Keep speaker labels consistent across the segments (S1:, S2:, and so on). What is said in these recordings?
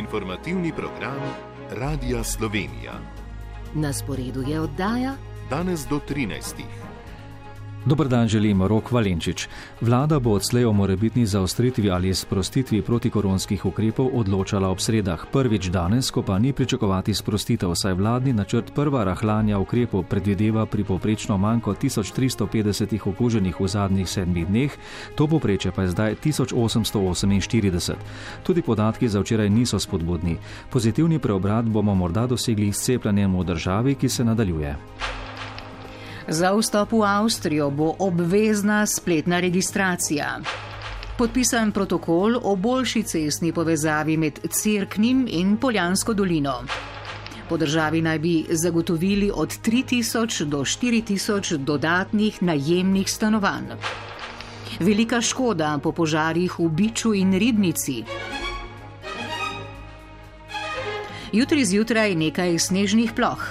S1: Informativni program Radia Slovenija.
S2: Na sporedu je oddaja
S1: Danes do 13.
S3: Dober dan želim, Rok Valenčič. Vlada bo odslej o morebitni zaostritvi ali sprostitvi protikoronskih ukrepov odločala ob sredah. Prvič danes, ko pa ni pričakovati sprostitev, saj vladni načrt prva rahljanja ukrepov predvideva pri povprečno manj kot 1350 okuženih v zadnjih 7 dneh, to povprečje pa je zdaj 1848. Tudi podatki za včeraj niso spodbudni. Pozitivni preobrat bomo morda dosegli s cepljenjem v državi, ki se nadaljuje.
S2: Za vstop v Avstrijo bo obvezna spletna registracija. Podpisan protokol o boljši cestni povezavi med Cerknim in Poljansko dolino. Po državi naj bi zagotovili od 3000 do 4000 dodatnih najemnih stanovanj. Velika škoda po požarih v Biču in Ribnici. Jutri zjutraj nekaj snežnih ploh.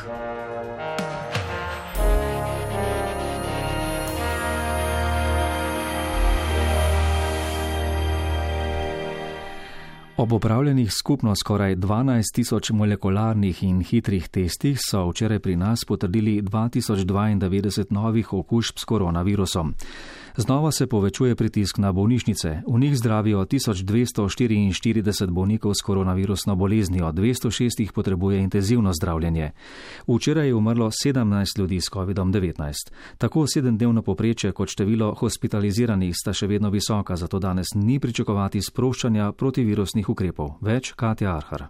S3: Ob opravljenih skupno skoraj 12 000 molekularnih in hitrih testih so včeraj pri nas potrdili 2092 novih okužb s koronavirusom. Znova se povečuje pritisk na bolnišnice. V njih zdravijo 1244 bolnikov s koronavirusno boleznijo, 206 jih potrebuje intenzivno zdravljenje. Včeraj je umrlo 17 ljudi s COVID-19. Tako 7-dnevno povprečje kot število hospitaliziranih sta še vedno visoka, zato danes ni pričakovati sproščanja protivirusnih ukrepov. Več Katja Arhar.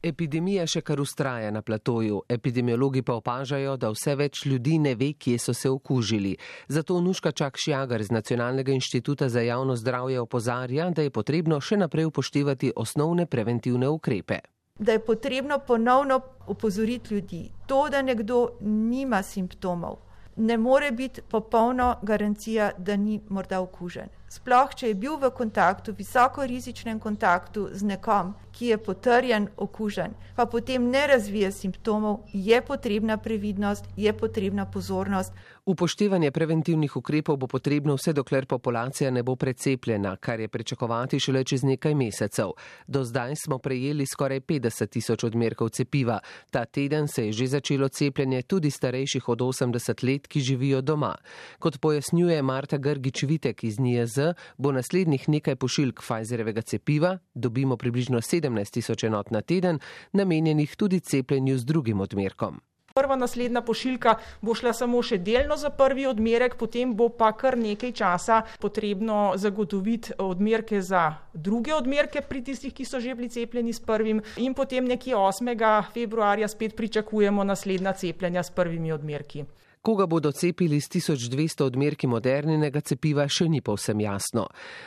S4: Epidemija še kar vztraja na platoju. Epidemiologi pa opažajo, da vse več ljudi ne ve, kje so se okužili. Zato Nuška Čak-Šjagar z Nacionalnega inštituta za javno zdravje opozarja, da je potrebno še naprej upoštevati osnovne preventivne ukrepe.
S5: Da je potrebno ponovno opozoriti ljudi. To, da nekdo nima simptomov, ne more biti popolna garancija, da ni morda okužen. Sploh, če je bil v kontaktu, visoko rizičnem kontaktu z nekom, ki je potrjen okužen, pa potem ne razvije simptomov, je potrebna previdnost, je potrebna pozornost.
S4: Upoštevanje preventivnih ukrepov bo potrebno vse dokler populacija ne bo precepljena, kar je pričakovati šele čez nekaj mesecev. Do zdaj smo prejeli skoraj 50 000 odmerkov cepiva. Ta teden se je že začelo cepljenje tudi starejših od 80 let, ki živijo doma. Kot pojasnjuje Marta Grgič-Vitek iz NIJZ, bo naslednjih nekaj pošiljk Pfizerjevega cepiva, dobimo približno 17 000 enot na teden, namenjenih tudi cepljenju z drugim odmerkom.
S6: Prva naslednja pošiljka bo šla samo še delno za prvi odmerek, potem bo pa kar nekaj časa potrebno zagotoviti odmerke za druge odmerke pri tistih, ki so že bili cepljeni s prvim, in potem nekje 8. februarja spet pričakujemo naslednja cepljenja s prvimi odmerki.
S4: Koga bodo cepili s 1200 odmerki Moderninega cepiva, še ni povsem jasno.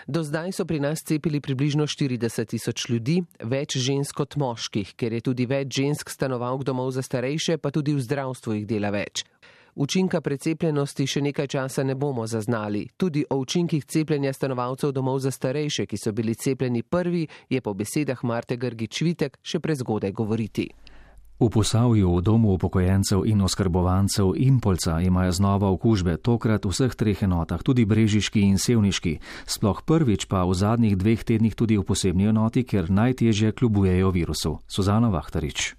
S4: Do zdaj so pri nas cepili približno 40 000 ljudi, več žensk kot moških, ker je tudi več žensk stanovalk domov za starejše, pa tudi v zdravstvu jih dela več. Učinka precepljenosti še nekaj časa ne bomo zaznali. Tudi o učinkih cepljenja stanovalcev domov za starejše, ki so bili cepljeni prvi, je po besedah Marte Grgič-Vitek še prezgodaj govoriti.
S3: V Posavju, v domu upokojencev in oskrbovancev Impolca imajo znova okužbe, tokrat v vseh 3 enotah, tudi brežiški in sevniški. Sploh prvič pa v zadnjih 2 tednih tudi v posebni enoti, ker najtežje kljubujejo virusu. Suzana Vahtarič.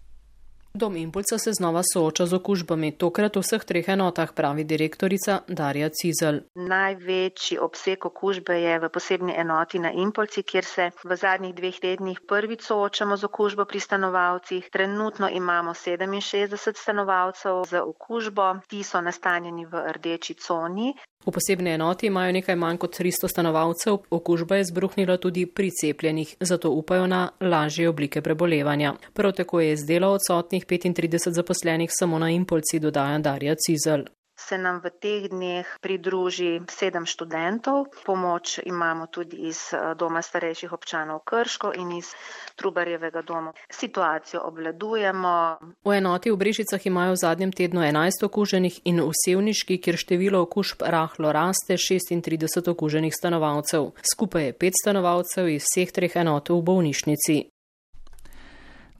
S7: Dom Impulca se znova sooča z okužbami, tokrat v vseh 3 enotah, pravi direktorica Darja Cizelj.
S8: Največji obseg okužbe je v posebni enoti na Impolci, kjer se v zadnjih 2 tednih prvič soočamo z okužbo pri stanovalcih. Trenutno imamo 67 stanovalcev z okužbo, ti so nastanjeni v rdeči coni.
S7: V posebni enoti imajo nekaj manj kot 300 stanovalcev, okužba je izbruhnila tudi pri cepljenih, zato upajo na lažje oblike prebolevanja. Prav tako je z dela odsotnih 35 zaposlenih samo na Impolci, dodaja Darja Cizelj.
S8: Se nam v teh dneh pridruži 7 študentov. Pomoč imamo tudi iz Doma starejših občanov Krško in iz Trubarjevega doma. Situacijo obvladujemo.
S7: V enoti v Brežicah imajo v zadnjem tednu 11 okuženih in v Sevniški, kjer število okužb rahlo raste, 36 okuženih stanovalcev. Skupaj je 5 stanovalcev iz vseh 3 enot v bolnišnici.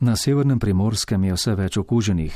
S3: Na severnem Primorskem je vse več okuženih.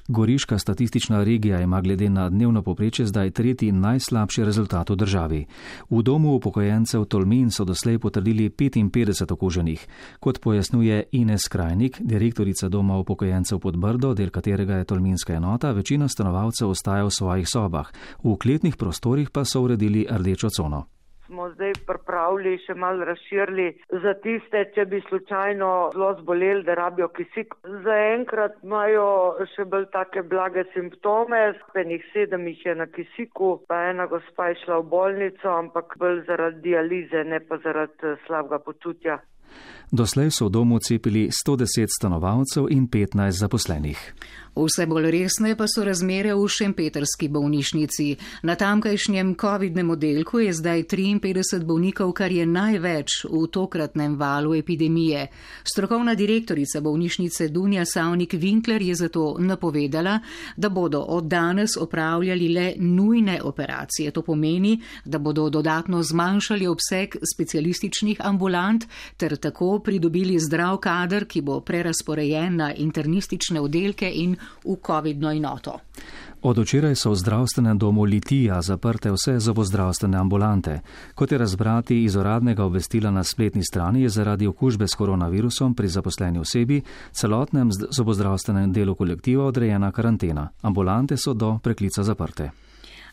S3: Goriška statistična regija ima glede na dnevno povprečje zdaj tretji najslabši rezultat v državi. V domu upokojencev Tolmin so doslej potrdili 55 okuženih. Kot pojasnjuje Ines Krajnik, direktorica doma upokojencev Podbrdo, del katerega je tolminska enota, večina stanovalcev ostaja v svojih sobah. V kletnih prostorih pa so uredili rdečo cono.
S9: Smo zdaj pripravili, še malo razširili za tiste, če bi slučajno zelo zboleli, da rabijo kisik. Zaenkrat imajo še bolj take blage simptome, enih 7 jih je na kisiku, pa ena gospa je šla v bolnico, ampak bolj zaradi dialize, ne pa zaradi slabega počutja.
S3: Doslej so v domu cepili 110 stanovalcev in 15 zaposlenih.
S2: Vse bolj resne pa so razmere v šempetrski bolnišnici. Na tamkajšnjem covidnem oddelku je zdaj 53 bolnikov, kar je največ v tokratnem valu epidemije. Strokovna direktorica bolnišnice Dunja Savnik-Winkler je zato napovedala, da bodo od danes opravljali le nujne operacije. To pomeni, da bodo dodatno zmanjšali obseg specialističnih ambulant ter tako pridobili zdrav kader, ki bo prerasporejen na internistične oddelke in v covidno enoto.
S3: Od včeraj so v zdravstvenem domu Litija zaprte vse zobozdravstvene ambulante. Kot je razbrati iz uradnega obvestila na spletni strani, je zaradi okužbe s koronavirusom pri zaposleni osebi celotnem zobozdravstvenem delu kolektiva odrejena karantena. Ambulante so do preklica zaprte.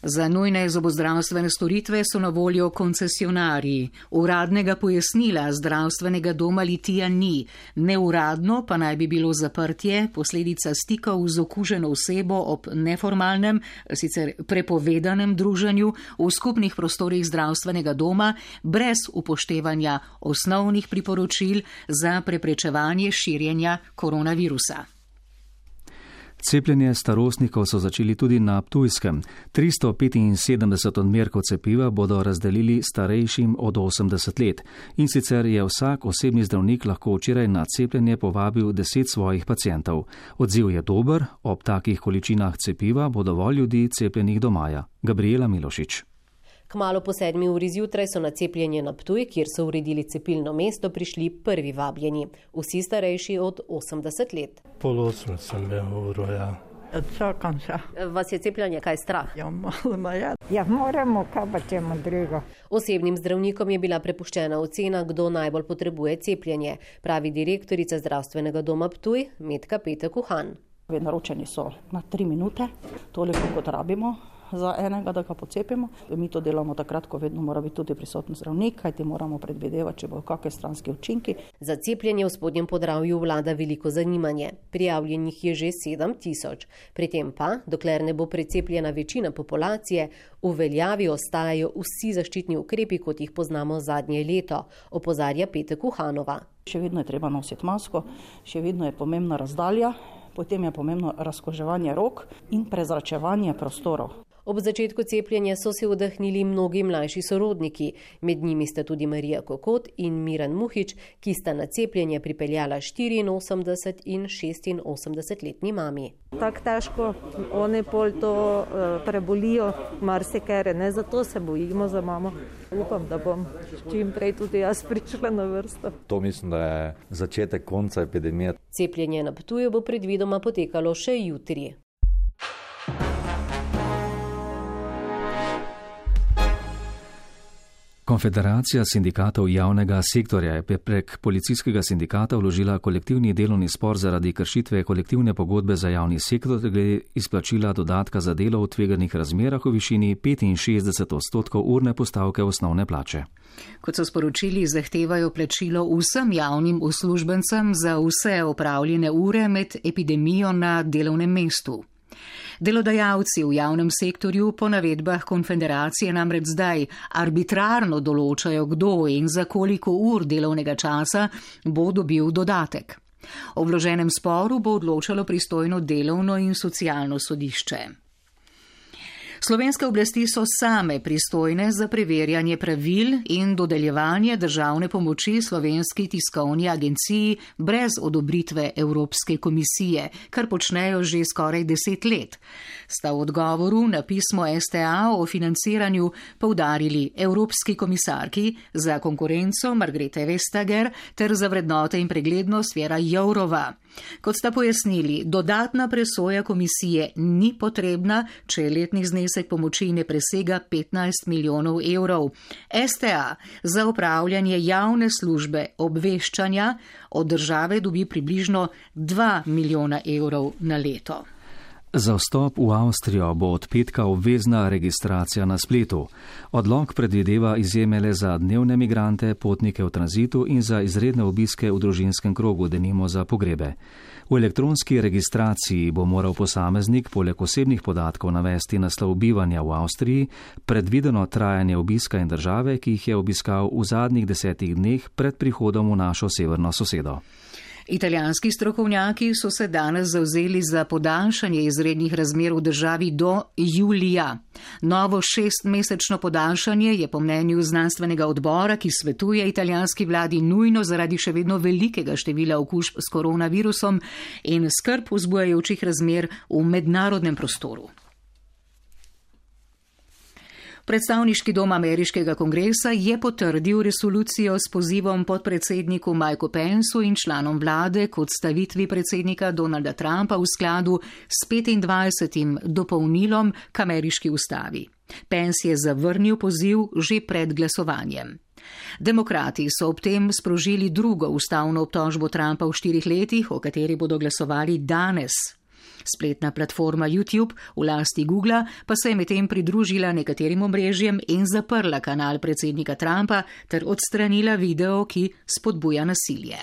S2: Za nujne zobozdravstvene storitve so na voljo koncesionarji. Uradnega pojasnila zdravstvenega doma Litija ni. Neuradno pa naj bi bilo zaprtje posledica stikov z okuženo osebo ob neformalnem, sicer prepovedanem druženju v skupnih prostorih zdravstvenega doma brez upoštevanja osnovnih priporočil za preprečevanje širjenja koronavirusa.
S3: Cepljenje starostnikov so začeli tudi na Ptujskem. 375 odmerkov cepiva bodo razdelili starejšim od 80 let. In sicer je vsak osebni zdravnik lahko včeraj na cepljenje povabil 10 svojih pacientov. Odziv je dober, ob takih količinah cepiva bo dovolj ljudi cepljenih do maja. Gabriela Milošič.
S10: Kmalu po 7 uri zjutraj so na cepljenje na Ptuj, kjer so uredili cepilno mesto, prišli prvi vabljeni. Vsi starejši od 80 let.
S11: Pol 8 sem bil, ja.
S12: Čakam še.
S10: Vas je cepljenje kaj strah?
S12: Ja, malo me je. Ja, moramo, kaj pa čemu drugo.
S10: Osebnim zdravnikom je bila prepuščena ocena, kdo najbolj potrebuje cepljenje, pravi direktorica zdravstvenega doma Ptuj, Metka Petek-Uhan.
S13: Naročeni so na 3 minute, toliko kot rabimo za enega, da ga pocepimo. Mi to delamo takrat, ko vedno mora biti tudi prisoten zdravnik, kajti moramo predvidevati, če bo kakšne stranske učinki.
S10: Za cepljenje v Spodnjem Podravju vlada veliko zanimanje. Prijavljenih je že 7.000. Pri tem pa, dokler ne bo precepljena večina populacije, v veljavi ostajajo vsi zaščitni ukrepi, kot jih poznamo zadnje leto, opozarja Petek-Uhanova.
S13: Še vedno je treba nositi masko, še vedno je pomembna razdalja, potem je pomembno razkoževanje rok in prezračevanje prostorov.
S10: Ob začetku cepljenja so se vdahnili mnogi mlajši sorodniki, med njimi sta tudi Marija Kokot in Miran Muhič, ki sta na cepljenje pripeljala 84 in 86-letni mami.
S14: Tako težko, oni pol to prebolijo, marsikere, ne, zato se bojimo za mamo. Upam, da bom čim prej tudi jaz prišla na vrsto.
S15: To mislim, da je začetek konca epidemije.
S10: Cepljenje na Ptuju bo predvidoma potekalo še jutri.
S3: Konfederacija sindikatov javnega sektorja je prek policijskega sindikata vložila kolektivni delovni spor zaradi kršitve kolektivne pogodbe za javni sektor glede izplačila dodatka za delo v tveganih razmerah v višini 65% urne postavke osnovne plače.
S2: Kot so sporočili, zahtevajo plačilo vsem javnim uslužbencem za vse opravljene ure med epidemijo na delovnem mestu. Delodajalci v javnem sektorju po navedbah konfederacije namreč zdaj arbitrarno določajo, kdo in za koliko ur delovnega časa bo dobil dodatek. O vloženem sporu bo odločalo pristojno delovno in socialno sodišče. Slovenske oblasti so same pristojne za preverjanje pravil in dodeljevanje državne pomoči Slovenski tiskovni agenciji brez odobritve Evropske komisije, kar počnejo že skoraj 10 let. Sta v odgovoru na pismo STA o financiranju poudarili Evropski komisarki za konkurenco Margrethe Vestager ter za vrednote in preglednost Věra Jourova. Kot sta pojasnili, dodatna presoja komisije ni potrebna, če letni znesek pomoči ne presega 15 milijonov evrov. STA za upravljanje javne službe obveščanja od države dobi približno 2 milijona evrov na leto.
S3: Za vstop v Avstrijo bo od petka obvezna registracija na spletu. Odlok predvideva izjeme le za dnevne migrante, potnike v tranzitu in za izredne obiske v družinskem krogu, denimo za pogrebe. V elektronski registraciji bo moral posameznik poleg osebnih podatkov navesti naslov bivanja v Avstriji, predvideno trajanje obiska in države, ki jih je obiskal v zadnjih 10 dneh pred prihodom v našo severno sosedo.
S2: Italijanski strokovnjaki so se danes zavzeli za podaljšanje izrednih razmer v državi do julija. Novo 6-mesečno podaljšanje je po mnenju znanstvenega odbora, ki svetuje italijanski vladi, nujno zaradi še vedno velikega števila okužb s koronavirusom in skrb vzbujajočih razmer v mednarodnem prostoru. Predstavniški dom ameriškega kongresa je potrdil resolucijo s pozivom podpredsedniku Mikeu Pensu in članom vlade k odstavitvi predsednika Donalda Trumpa v skladu s 25. dopolnilom k ameriški ustavi. Pence je zavrnil poziv že pred glasovanjem. Demokrati so ob tem sprožili drugo ustavno obtožbo Trumpa v 4 letih, o kateri bodo glasovali danes. Spletna platforma YouTube v lasti Googla pa se je medtem pridružila nekaterim omrežjem in zaprla kanal predsednika Trumpa ter odstranila video, ki spodbuja nasilje.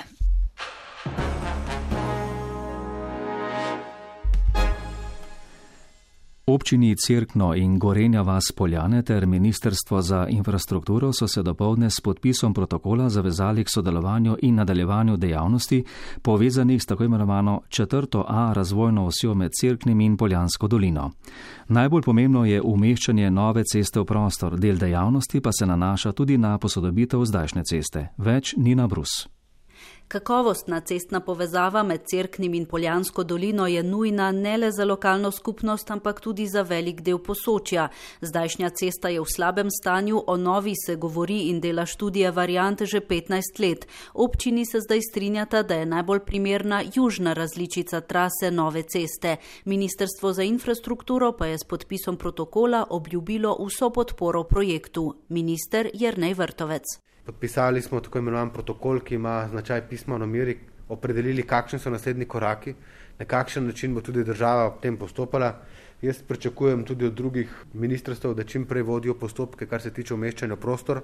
S3: Občini Cerkno in Gorenja vas Poljane ter Ministrstvo za infrastrukturo so se dopoldne s podpisom protokola zavezali k sodelovanju in nadaljevanju dejavnosti povezanih s tako imenovano 4A razvojno osjo med Cerknim in Poljansko dolino. Najbolj pomembno je umeščanje nove ceste v prostor, del dejavnosti pa se nanaša tudi na posodobitev zdajšnje ceste. Več Nina Brus.
S16: Kakovostna cestna povezava med Cerknim in Poljansko dolino je nujna ne le za lokalno skupnost, ampak tudi za velik del Posočja. Zdajšnja cesta je v slabem stanju, o novi se govori in dela študije variant že 15 let. Občini se zdaj strinjata, da je najbolj primerna južna različica trase nove ceste. Ministrstvo za infrastrukturo pa je s podpisom protokola obljubilo vso podporo projektu. Minister Jernej Vrtovec.
S17: Podpisali smo tako imenovan protokol, ki ima značaj pisma o nameri, opredelili, kakšni so naslednji koraki, na kakšen način bo tudi država v tem postopala. Jaz pričakujem tudi od drugih ministrstv, da čim prej vodijo postopke, kar se tiče umeščanja v prostor.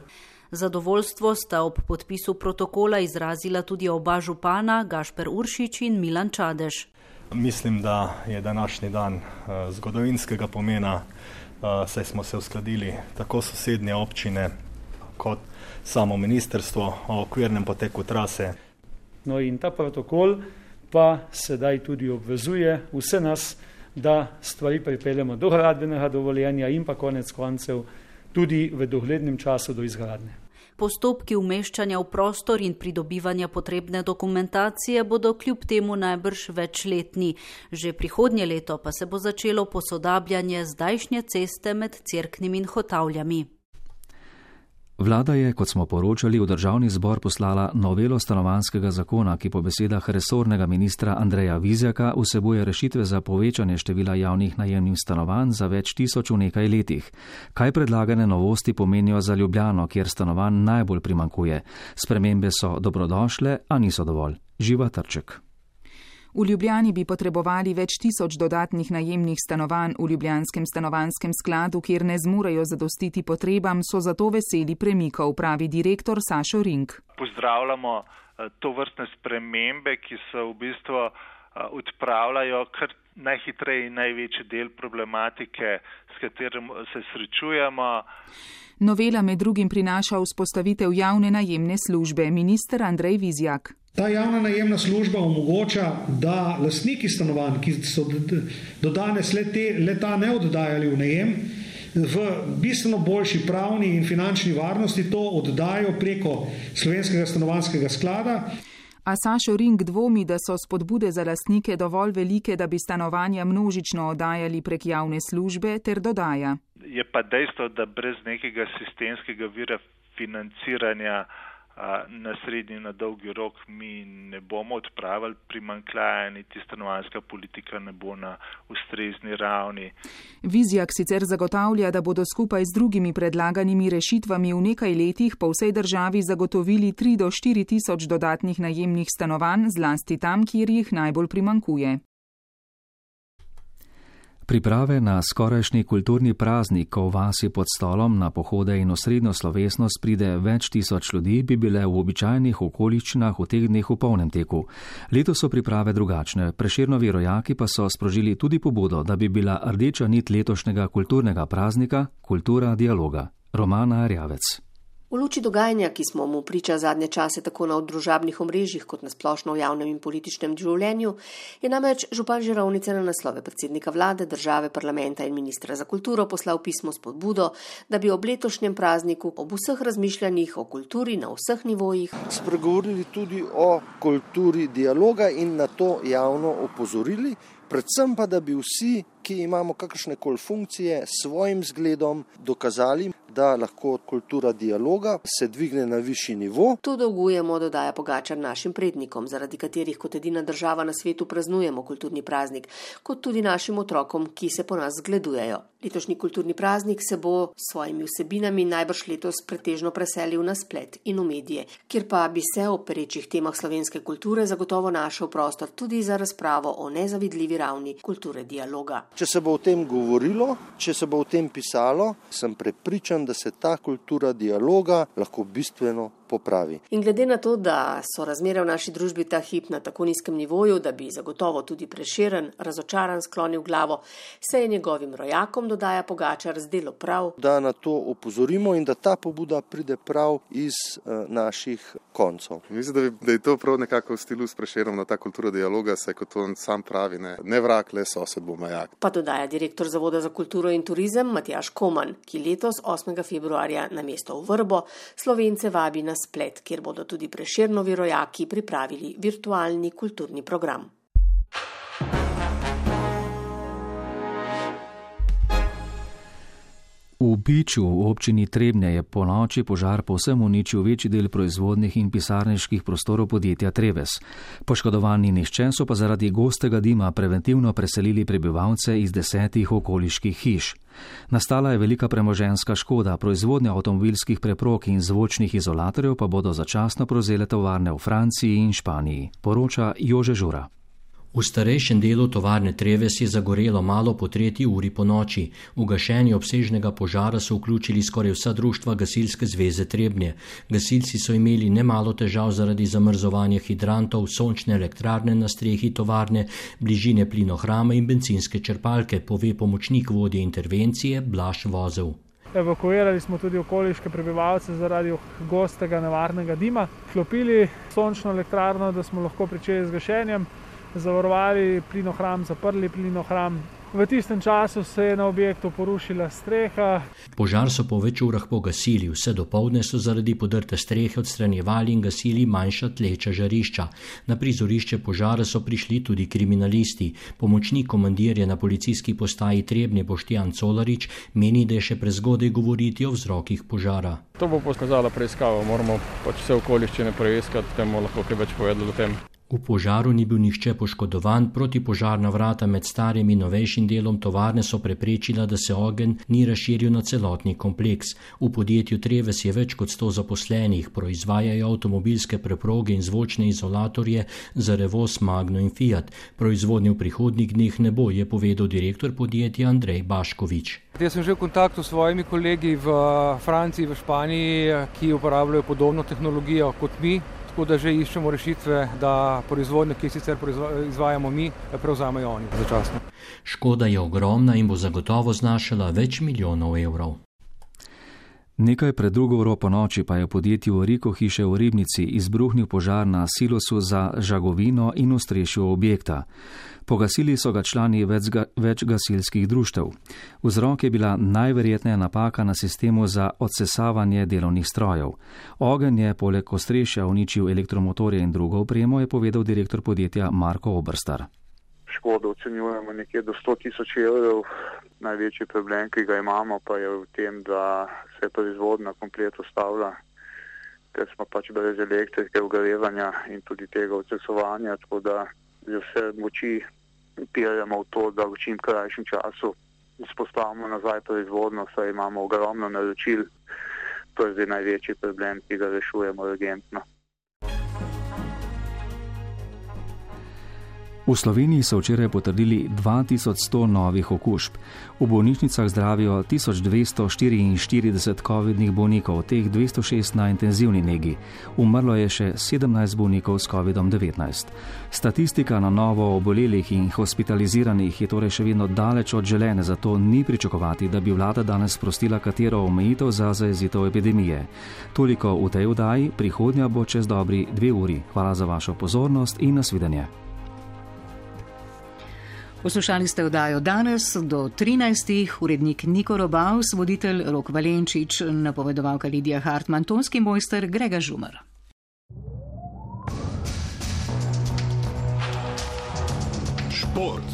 S16: Zadovoljstvo sta ob podpisu protokola izrazila tudi oba župana, Gašper Uršič in Milan Čadež.
S18: Mislim, da je današnji dan zgodovinskega pomena, saj smo se uskladili tako sosednje občine kot samo ministrstvo o okvirnem poteku trase.
S19: No in ta protokol pa sedaj tudi obvezuje vse nas, da stvari pripeljemo do gradbenega dovoljenja in pa konec koncev tudi v doglednem času do izgradnje.
S16: Postopki umeščanja v prostor in pridobivanja potrebne dokumentacije bodo kljub temu najbrž večletni. Že prihodnje leto pa se bo začelo posodabljanje zdajšnje ceste med Cerknim in Hotavljami.
S3: Vlada je, kot smo poročali, v državni zbor poslala novelo stanovanjskega zakona, ki po besedah resornega ministra Andreja Vizjaka vsebuje rešitve za povečanje števila javnih najemnih stanovanj za več tisoč v nekaj letih. Kaj predlagane novosti pomenijo za Ljubljano, kjer stanovanj najbolj primanjkuje? Spremembe so dobrodošle, a niso dovolj. Živa Trček.
S20: V Ljubljani bi potrebovali več tisoč dodatnih najemnih stanovanj v Ljubljanskem stanovanjskem skladu, kjer ne zmorejo zadostiti potrebam, so zato veseli premikov, pravi direktor Sašo Rink.
S21: Pozdravljamo to vrstne spremembe, ki se v bistvu odpravljajo kar najhitreje in največji del problematike, s katerim se srečujemo.
S20: Novela med drugim prinaša vzpostavitev javne najemne službe, minister Andrej Vizjak.
S22: Ta javna najemna služba omogoča, da lastniki stanovanj, ki so do danes le ta ne oddajali v najem, v bistveno boljši pravni in finančni varnosti to oddajo preko Slovenskega stanovanjskega sklada.
S20: A Sašo Ring dvomi, da so spodbude za lastnike dovolj velike, da bi stanovanja množično oddajali prek javne službe, ter dodaja.
S21: Je pa dejstvo, da brez nekega sistemskega vira financiranja na srednji in na dolgi rok mi ne bomo odpravili primanjkljaja, niti stanovanjska politika ne bo na ustrezni ravni.
S20: Vizjak sicer zagotavlja, da bodo skupaj z drugimi predlaganimi rešitvami v nekaj letih po vsej državi zagotovili 3 do 4 tisoč dodatnih najemnih stanovanj, zlasti tam, kjer jih najbolj primanjkuje.
S3: Priprave na skorajšnji kulturni praznik, ko v vasi pod stolom na pohode in osrednjo slovesnost pride več tisoč ljudi, bi bile v običajnih okoliščinah v teh dneh v polnem teku. Letos so priprave drugačne. Prešernovi rojaki pa so sprožili tudi pobudo, da bi bila rdeča nit letošnjega kulturnega praznika kultura dialoga. Romana Erjavec.
S1: V luči dogajanja, ki smo mu priča zadnje čase tako na družabnih omrežjih kot na splošno v javnem in političnem življenju, je namreč župan Žirovnice na naslove predsednika vlade, države, parlamenta in ministra za kulturo poslal pismo s podbudo, da bi ob letošnjem prazniku ob vseh razmišljanjih o kulturi na vseh nivojih
S5: spregovorili tudi o kulturi dialoga in na to javno opozorili, predvsem pa, da bi vsi, ki imamo kakršnekoli funkcije, svojim zgledom dokazali, da lahko kultura dialoga se dvigne na višji nivo.
S1: To dolgujemo, dodaja Pogačar, našim prednikom, zaradi katerih kot edina država na svetu praznujemo kulturni praznik, kot tudi našim otrokom, ki se po nas zgledujejo. Letošnji kulturni praznik se bo s svojimi vsebinami najbrž letos pretežno preselil na splet in v medije, kjer pa bi se o perečih temah slovenske kulture zagotovo našel prostor tudi za razpravo o nezavidljivi ravni kulture dialoga.
S5: Če se bo o tem govorilo, če se bo o tem pisalo, sem prepričan, da se ta kultura dialoga lahko bistveno popravi.
S1: In glede na to, da so razmere v naši družbi ta hip na tako nizkem nivoju, da bi zagotovo tudi Prešeren razočaran sklonil glavo, se je njegovim rojakom, dodaja Pogačar, zdelo prav,
S5: da na to opozorimo in da ta pobuda pride prav iz naših koncev.
S23: Mislim, da je to prav nekako v stilu s Prešerom na ta kultura dialoga, saj kot on sam pravi, ne vrag, le sosed bo majak.
S1: Pa dodaja direktor Zavoda za kulturo in turizem Matjaž Koman, ki letos 8. februarja na mesto v Vrbo Slovence vabi na splet, kjer bodo tudi Prešernovi rojaki pripravili virtualni kulturni program.
S3: V Biču v občini Trebnje je po noči požar povsem uničil večji del proizvodnih in pisarniških prostorov podjetja Treves. Poškodovani nihče, so pa zaradi gostega dima preventivno preselili prebivalce iz 10 okoliških hiš. Nastala je velika premoženjska škoda, proizvodnja avtomobilskih preprog in zvočnih izolatorjev pa bodo začasno prevzele tovarne v Franciji in Španiji, poroča Jože Žura.
S24: V starejšem delu tovarne Treves je zagorelo malo po 3. uri po noči. V gašenje obsežnega požara so vključili skoraj vsa društva Gasilske zveze Trebnje. Gasilci so imeli nemalo težav zaradi zamrzovanja hidrantov, sončne elektrarne na strehi tovarne, bližine plinohrama in bencinske črpalke, pove pomočnik vodje intervencije Blaž Vozel.
S25: Evakuirali smo tudi okoliške prebivalce zaradi gostega nevarnega dima. Vklopili sončno elektrarno, da smo lahko pričeli z gašenjem. Zavarovali plinohram, zaprli plinohram. V tistem času se je na objektu porušila streha.
S24: Požar so po več urah pogasili, vse dopoldne so zaradi podrte strehe odstranjevali in gasili manjša tleča žarišča. Na prizorišče požara so prišli tudi kriminalisti. Pomočnik komandirja na policijski postaji Trebnje Boštjan Colarič meni, da je še prezgodaj govoriti o vzrokih požara.
S26: To bo pokazala preiskava, moramo vse okoliščine preiskati, da bomo lahko kaj več povedali o tem.
S24: V požaru ni bil nihče poškodovan, protipožarna vrata med starim in novejšim delom tovarne so preprečila, da se ogenj ni razširil na celotni kompleks. V podjetju Treves je več kot 100 zaposlenih, proizvajajo avtomobilske preproge in zvočne izolatorje za Revoz, Magno in Fiat. Proizvodnje v prihodnjih dneh ne bo, je povedal direktor podjetja Andrej Baškovič.
S27: Jaz sem že v kontaktu s svojimi kolegi v Franciji, v Španiji, ki uporabljajo podobno tehnologijo kot mi. Tako da že iščemo rešitve, da proizvodnje, ki sicer izvajamo mi, prevzamejo oni začasno.
S24: Škoda je ogromna in bo zagotovo znašala več milijonov evrov.
S3: Nekaj pred 2 uro po noči pa je v podjetju Riko hiše v Ribnici izbruhnil požar na silosu za žagovino in ostrešju objekta. Pogasili so ga člani več gasilskih društev. Vzrok je bila najverjetneje napaka na sistemu za odsesavanje delovnih strojev. Ogenj je poleg ostrešja uničil elektromotorje in drugo opremo, je povedal direktor podjetja Marko Obrstar.
S4: Škodo ocenjujemo nekje do 100.000 evrov. Največji problem, ki ga imamo, pa je v tem, da se proizvodnja komplet ustavlja, ker smo pač brez elektrike, ogrevanja in tudi tega odsesovanja, tako da vse moči piramo v to, da v čim krajšem času vzpostavimo nazaj proizvodnjo, saj imamo ogromno naročil. To je zdaj največji problem, ki ga rešujemo urgentno.
S3: V Sloveniji so včeraj potrdili 2100 novih okužb. V bolnišnicah zdravijo 1244 covidnih bolnikov, teh 206 na intenzivni negi. Umrlo je še 17 bolnikov s COVID-19. Statistika na novo obolelih in hospitaliziranih je torej še vedno daleč od želene, zato ni pričakovati, da bi vlada danes sprostila katero omejitev za zajezitev epidemije. Toliko v tej oddaji, prihodnja bo čez dobri 2 uri. Hvala za vašo pozornost in nasvidenje.
S2: Poslušali ste oddajo Danes do 13. Urednik Niko Robaus, voditelj Rok Valenčič, napovedovalka Lidija Hartmann, tonski mojster Grega Žumar.
S6: Šport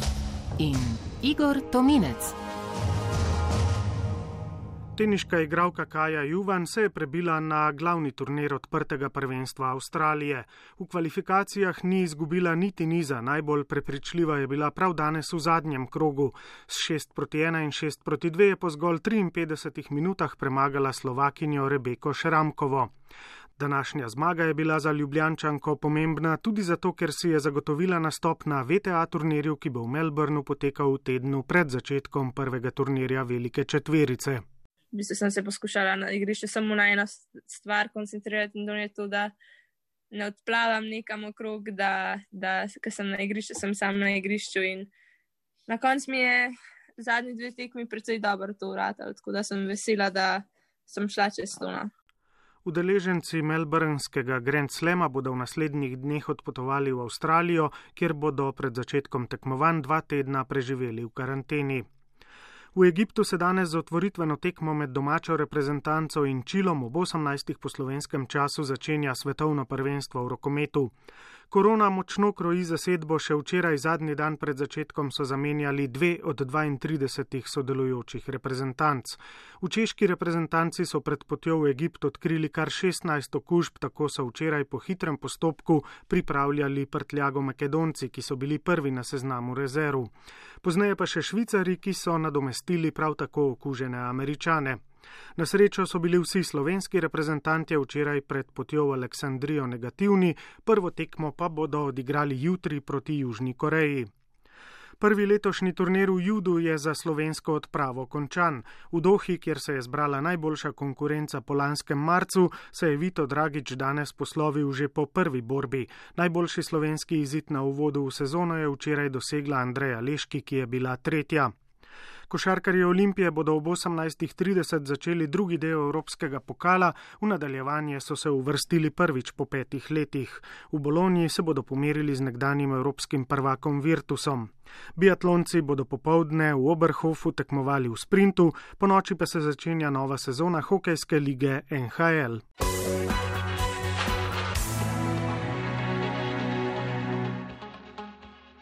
S2: in Igor Tominec.
S22: Teniška igralka Kaja Juvan se je prebila na glavni turnir odprtega prvenstva Avstralije. V kvalifikacijah ni izgubila niti niza, najbolj prepričljiva je bila prav danes v zadnjem krogu. S 6-1 in 6-2 je po zgolj 53 minutah premagala Slovakinjo Rebeko Šramkovo. Današnja zmaga je bila za Ljubljančanko pomembna tudi zato, ker si je zagotovila nastop na VTA turnirju, ki bo v Melbourneu potekal v tednu pred začetkom prvega turnirja Velike četverice.
S7: V bistvu sem se poskušala na igrišču samo na eno stvar koncentrirati in to je to, da ne odplavam nekam okrog, ker sem na igrišču, sem sam na igrišču in na koncu mi je zadnji 2 tekmi precej dobro to uratalo, tako da sem vesela, da sem šla čez to.
S22: Udeleženci melbourneskega Grand Slama bodo v naslednjih dneh odpotovali v Avstralijo, kjer bodo pred začetkom tekmovanj 2 tedna preživeli v karanteni. V Egiptu se danes z otvoritveno tekmo med domačo reprezentanco in Čilom ob 18. po slovenskem času začenja svetovno prvenstvo v rokometu. Korona močno kroji zasedbo, še včeraj zadnji dan pred začetkom so zamenjali 2 od 32 sodelujočih reprezentanc. V češki reprezentanci so pred potjo v Egipt odkrili kar 16 okužb, tako so včeraj po hitrem postopku pripravljali prtljago Makedonci, ki so bili prvi na seznamu rezerv. Pozneje pa še Švicari, ki so nadomestili prav tako okužene Američane. Na srečo so bili vsi slovenski reprezentanti včeraj pred potjo v Aleksandrijo negativni, prvo tekmo pa bodo odigrali jutri proti Južni Koreji. Prvi letošnji turnir v judu je za slovensko odpravo končan. V Dohi, kjer se je zbrala najboljša konkurenca po lanskem marcu, se je Vito Dragič danes poslovil že po prvi borbi. Najboljši slovenski izid na uvodu v sezono je včeraj dosegla Andreja Leški, ki je bila 3. Košarkarji Olimpije bodo ob 18:30 začeli drugi del evropskega pokala, v nadaljevanje so se uvrstili prvič po 5 letih. V Bologni se bodo pomerili z nekdanjim evropskim prvakom Virtusom. Biatlonci bodo popoldne v Oberhofu tekmovali v sprintu, ponoči pa se začenja nova sezona hokejske lige NHL.